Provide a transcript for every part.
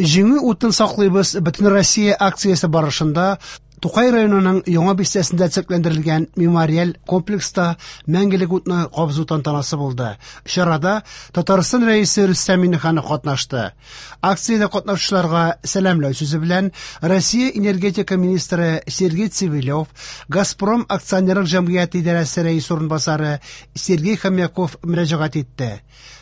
Җиңү утын саклыйбыз Бөтенроссия акциясе барышында Тукай районының Яңа бистәсендә төзекләндерелгән мемориаль комплекста мәңгелек утны кабызу тантанасы булды. Чарада Татарстан Рәисе Рөстәм Миңнеханов катнашты. Акциядә катнашучыларга сәламләү сүзе белән Россия энергетика министры Сергей Цивилев, Газпром акционерлык җәмгыяте идарәсе рәисе урынбасары Сергей Хомяков мөрәҗәгать итте.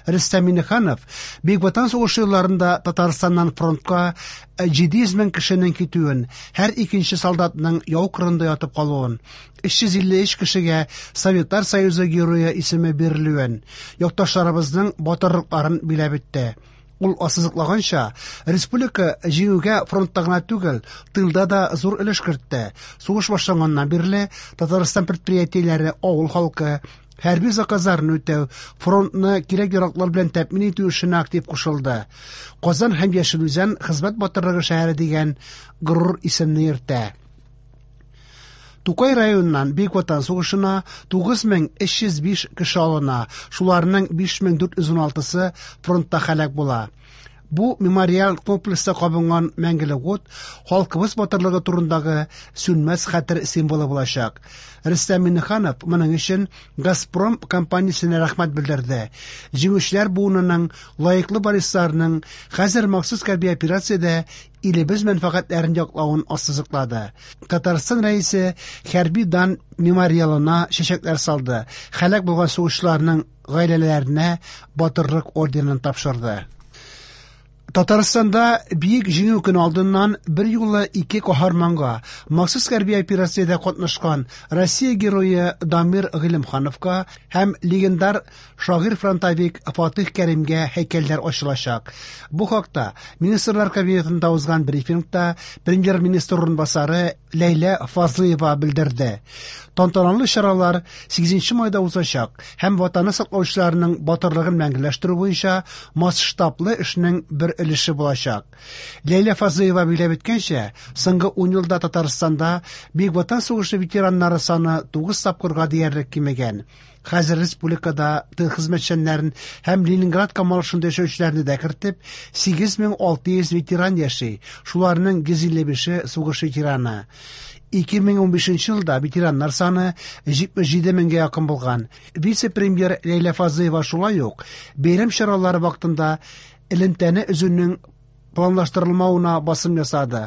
Рөстәм Миңнеханов Бөек Ватан сугышы елларында Татарстаннан фронтка 700 мең кешенең китүен, һәр икенче солдатның яу кырында ятып калуын, 353 кешегә Советлар Союзы Герое исеме бирелүен, якташларыбызның батырлыкларын биләп үтте. Ул ассызыклаганча, республика җиңүгә фронтта гына түгел, тылда да зур өлеш кертте. Сугыш башланганнан бирле Татарстан предприятиеләре авыл халкы, хәрби заказларын үтәү, фронтны кирәк-яраклар белән тәэмин итү эшенә актив кушылды. Казан һәм Яшел Үзән хезмәт батырлыгы шәһәре дигән горур исемне йөртә. Тукай районыннан Бөек Ватан сугышына 9305 кеше алына, шуларның 5416-сы фронтта һәлак була. Бу мемориаль комплекста кабынган мәңгелек ут халкыбыз батырлыгы турындагы сүнмәс хәтер символы булачак. Рөстәм Миңнеханов моның өчен Газпром компаниясенә рәхмәт белдерде. Җиңүчеләр буынының лаеклы варисларының хәзер махсус хәрби операциядә илебез мәнфәгатьләрен яклавын ассызыклады. Татарстан Рәисе хәрби дан мемориалына чәчәкләр салды. Һәлак булган сугышчыларның гаиләләренә батырлык орденын тапшырды. Татарстанда Бөек Җиңү көне алдыннан бер юлы ике каһарманга махсус хәрби операциядә катнашкан Россия герое Дамир Гыйлемхановка һәм легендар шагыйрь-фронтовик Фатих Кәримгә һәйкәлләр ачылачак. Бу хакта Министрлар Кабинетында узган брифингта премьер-министр урынбасары Ләйлә Фазлыева белдерде. Тантаналы чаралар 8 майда узачак һәм Ватанны саклаучыларның батырлыгын мәңгеләштерү буенча масштаблы эшнең бер өлеше булачак. Ләйлә Фазлыева билгеләп үткәнчә, соңгы 10 елда Татарстанда Бөек Ватан сугышы ветераннары саны 9 тапкырга диярлек кимегән. Хәзер республикада тыл хезмәтчәннәрен һәм Ленинград камалышында яшәүчеләрне дә кертеп, 8600 ветеран яши, шуларның 155-е сугыш ветераны. 2015 елда ветераннар саны 77 меңгә якын булган. Вице-премьер Ләйлә Фазлыева шулай ук бәйрәм чаралары вакытында элемтәне өзүнең планлаштырылмавына басым ясады.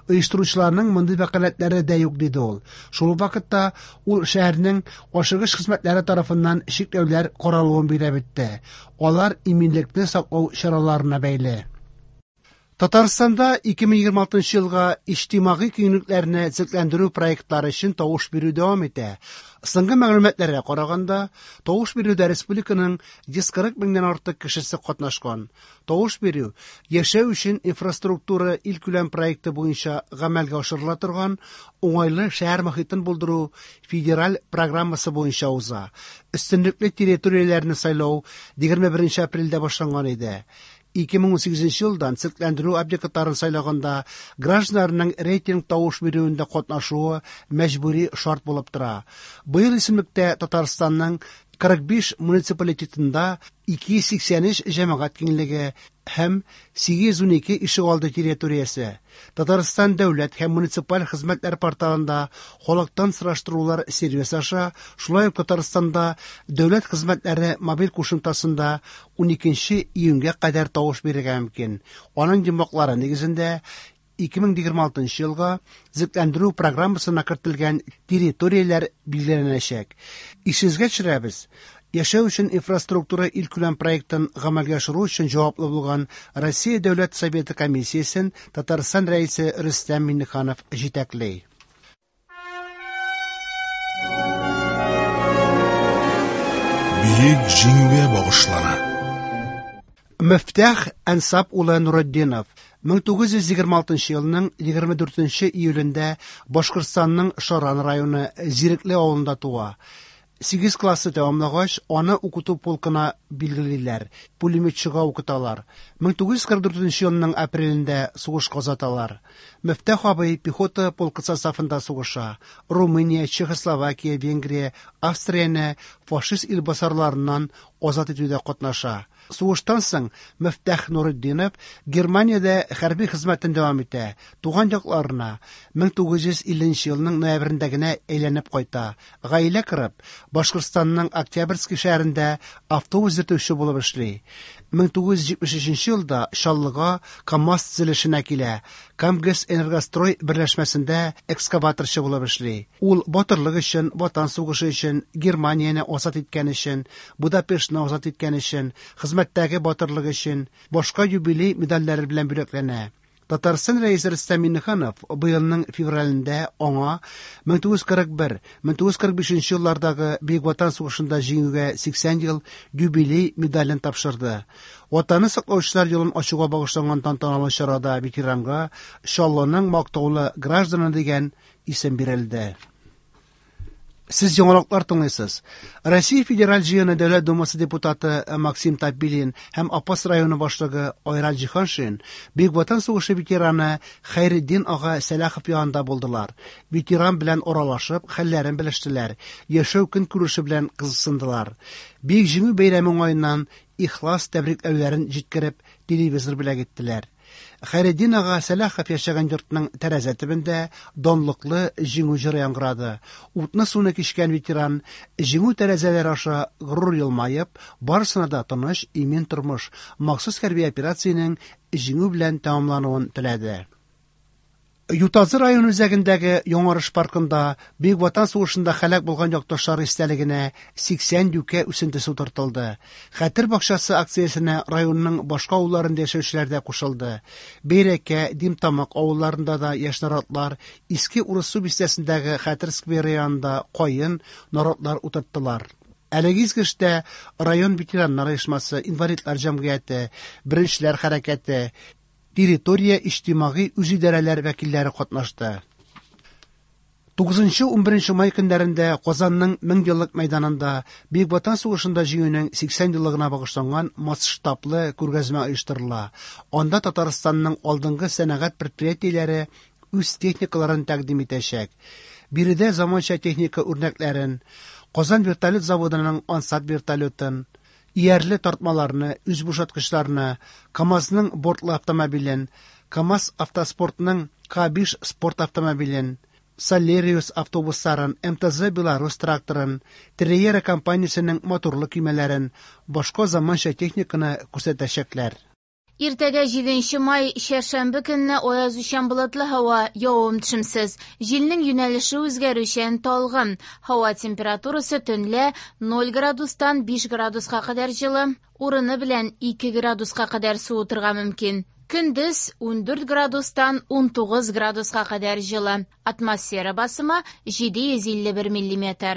Оештыручыларның мондый вәкаләтләре дә юк, диде ул. Шул ук вакытта ул шәһәрнең ашыгыч хезмәтләре тарафыннан чикләүләр каралуын билгеләп үтте. Алар иминлекне саклау чараларына бәйле. Татарстанда 2026 елга иҗтимагый киңлекләрне төзекләндерү проектлары өчен тавыш бирү дәвам итә. Соңгы мәгълүматларга караганда, тавыш бирүдә республиканың 140 меңнән артык кешесе катнашкан. Тавыш бирү Яшәү өчен инфраструктура илкүләм проекты буенча гамәлгә ашырыла торган уңайлы шәһәр мохитен булдыру федераль программасы буенча уза. Өстенлекле территорияләрне сайлау 21 апрельдә башланган иде. 2018 елдан төзекләндерү объектларын сайлаганда гражданнарның рейтинг тавыш бирүендә катнашуы мәҗбүри шарт булып тора. Быел исемлектә Татарстанның 45 муниципалитетында 283 җәмәгать киңлеге һәм 812 ишегалды территориясе. Татарстан дәүләт һәм муниципаль хезмәтләр порталында халыктан сораштырулар сервисы аша, шулай ук Татарстанда дәүләт хезмәтләре мобиль кушымтасында 12 июньгә кадәр тавыш бирергә мөмкин. Аның йомгаклары нигезендә 2026 елга төзекләндерү программасына кертелгән территорияләр билгеләнәчәк. Исегезгә төшерәбез, Яшәү өчен инфраструктура илкүләм проектын гамәлгә ашыру өчен җаваплы булган Россия Дәүләт Советы комиссиясен Татарстан Рәисе Рөстәм Миңнеханов җитәкли. Бөек Җиңүгә багышлана. Мөфтәх Әнсап улы Нуретдинов 1926 елның 24 июлендә Башкортстанның Шаран районы Зирекле авылында туа. 8 классы тәмамлагач, аны укыту полкына билгелиләр, пулеметчыга укыталар. 1944 елның апрелендә сугышка озаталар. Мөфтәх абый пехота полкы составында сугыша. Румыния, Чехословакия, Венгрия, Австрияне фашист илбасарларыннан азат итүдә катнаша. Сугыштан соң Мөфтәх Нуретдинов Германиядә хәрби хезмәтен дәвам итә, туган якларына 1950 елның ноябрендә генә әйләнеп кайта. Гаилә корып, Башкортстанның Октябрьский шәһәрендә автобус йөртүче булып эшли. 1973 елда Чаллыга КАМАЗ төзелешенә килә, Камгэсэнергострой берләшмәсендә экскаваторчы булып эшли. Ул батырлык өчен, Ватан сугышы өчен, Германияне азат иткән өчен, Будапештны азат иткән өчен, хезмәттәге батырлык өчен, башка юбилей медальләре белән бүләкләнә. Татарстан Рәисе Рөстәм Миңнеханов быелның февралендә аңа 1941-1945 еллардагы Бөек Ватан сугышында җиңүгә 80 ел юбилей медален тапшырды. Ватанны саклаучылар елын ачуга багышланган тантаналы чарада ветеранга Чаллының мактаулы гражданы дигән исем бирелде. Сез яңалыклар тыңлыйсыз. Россия Федераль Җыены Дәүләт Думасы депутаты Максим Топилин һәм Апас районы башлыгы Айрат Җиһаншин Бөек Ватан сугышы ветераны Хәйретдин ага Сәлахов янында булдылар. Ветеран белән аралашып, хәлләрен белештеләр, яшәү көнкүреше белән кызыксындылар. Бөек Җиңү бәйрәме уңаеннан ихлас тәбрикләүләрен җиткереп, телевизор бүләк иттеләр. Хәйретдин ага Сәлахов яшәгән йортның тәрәзә төбендә данлыклы Җиңү җыры яңгырады. Утны-суны кичкән ветеран Җиңү тәрәзәләре аша горур елмаеп, барысына да тыныч, имин тормыш, махсус хәрби операциянең җиңү белән тәмамлануын теләде. Ютазы районы үзәгендәге Яңарыш паркында Бөек Ватан сугышында һәлак булган якташлары истәлегенә 80 юкә үсентесе утыртылды. Хәтер бакчасы акциясенә районның башка авылларында яшәүчеләр дә кушылды. Бәйрәкә, Димтамак авылларында да яшь наратлар, Иске Урыссу бистәсендәге Хәтер скверы янында каен, наратлар утырттылар. Әлеге изге эштә район ветераннар оешмасы, инвалидлар җәмгыяте, Беренчеләр хәрәкәте, территория иҗтимагый үзидарәләр вәкилләре катнашты. 9-11 май көннәрендә Казанның Меңьеллык мәйданында Бөек Ватан сугышында җиңүнең 80 еллыгына багышланган масштаблы күргәзмә оештырыла. Анда Татарстанның алдынгы сәнәгать предприятиеләре үз техникаларын тәкъдим итәчәк. Биредә заманча техника үрнәкләрен, Казан вертолет заводының Ансат вертолетын, иярле тартмаларны, үзбушаткычларны, КАМАЗның бортлы автомобилен, КАМАЗ автоспортның К5 спорт автомобилен, Солериус автобусларын, МТЗ Беларусь тракторын, Триера компаниясенең моторлы көймәләрен, башка заманча техниканы күрсәтәчәкләр. Иртәгә 7 май, чәршәмбе көнне аязучан болытлы һава, явым-төшемсез. Җилнең юнәлеше үзгәрүчән, талгын. Һава температурасы төнлә 0 градустан 5 градуска кадәр җылы, урыны белән 2 градуска кадәр суытырга мөмкин. Көндез 14 градустан 19 градуска кадәр җылы. Атмосфера басымы 751 миллиметр.